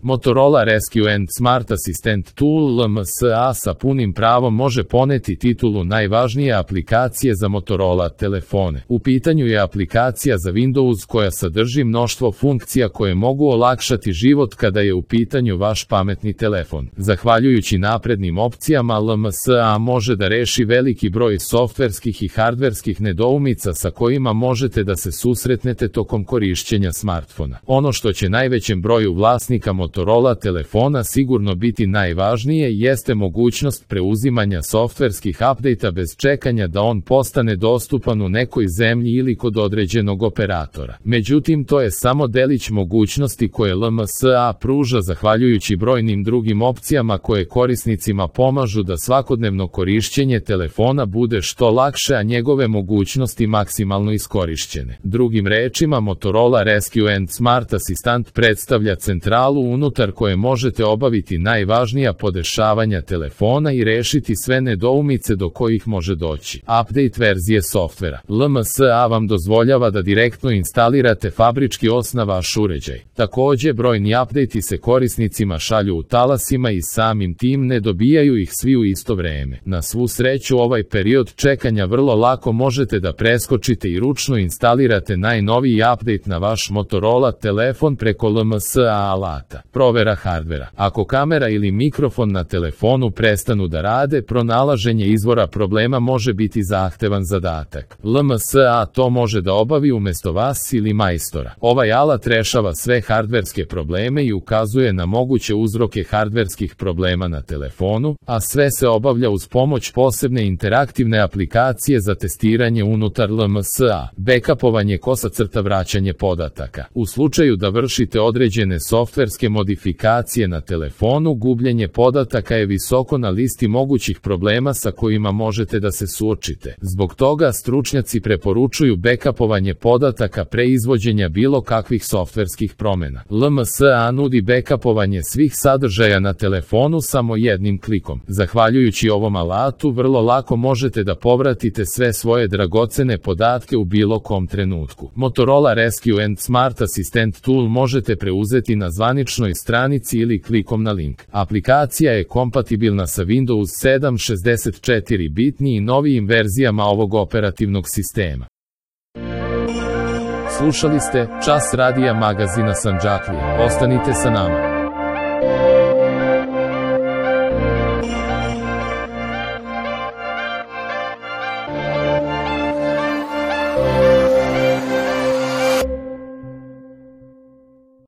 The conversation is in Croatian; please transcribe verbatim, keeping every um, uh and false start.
Motorola Rescue and Smart Assistant Tool L M S A sa punim pravom može poneti titulu najvažnije aplikacije za Motorola telefone. U pitanju je aplikacija za Windows koja sadrži mnoštvo funkcija koje mogu olakšati život kada je u pitanju vaš pametni telefon. Zahvaljujući naprednim opcijama, L M S A može da reši veliki broj softverskih i hardverskih nedoumica sa kojima možete da se susretnete tokom korišćenja smartfona. Ono što će najvećem broju vlasnika Motorola telefona sigurno biti najvažnije jeste mogućnost preuzimanja softverskih update-a bez čekanja da on postane dostupan u nekoj zemlji ili kod određenog operatora. Međutim, to je samo delić mogućnosti koje L M S A pruža zahvaljujući brojnim drugim opcijama koje korisnicima pomažu da svakodnevno korišćenje telefona bude što lakše, a njegove mogućnosti maksimalno iskorišćene. Drugim rečima, Motorola Rescue and Smart Assistant predstavlja centralu unutar koje možete obaviti najvažnija podešavanja telefona i rešiti sve nedoumice do kojih može doći. Update verzije softvera. L M S A vam dozvoljava da direktno instalirate fabrički os na vaš uređaj. Takođe, brojni update-i se korisnicima šalju u talasima i samim tim ne dobijaju ih svi u isto vreme. Na svu sreću, ovaj period čekanja vrlo lako možete da preskočite i ručno instalirate najnoviji update na vaš Motorola telefon preko L M S A alata. Provera hardvera. Ako kamera ili mikrofon na telefonu prestanu da rade, pronalaženje izvora problema može biti zahtevan zadatak. L M S A to može da obavi umesto vas ili majstora. Ovaj alat rešava sve hardverske probleme i ukazuje na moguće uzroke hardverskih problema na telefonu, a sve se obavlja uz pomoć posebne interaktivne aplikacije za testiranje unutar L M S A. Backupovanje kosa crta vraćanje podataka. U slučaju da vršite određene softverske modifikacije na telefonu, gubljenje podataka je visoko na listi mogućih problema sa kojima možete da se suočite. Zbog toga stručnjaci preporučuju backupovanje podataka pre izvođenja bilo kakvih softverskih promena. L M S A nudi backupovanje svih sadržaja na telefonu samo jednim klikom. Zahvaljujući ovom alatu, vrlo lako možete da povratite sve svoje dragocene podatke u bilo kom trenutku. Motorola Rescue and Smart Assistant Tool možete preuzeti na zvaničnoj stranici ili klikom na link. Aplikacija je kompatibilna sa Windows sedam šezdeset četiri bitni i novijim verzijama ovog operativnog sistema. Slušali ste Čas radija magazina Sandžaklija. Ostanite sa nama.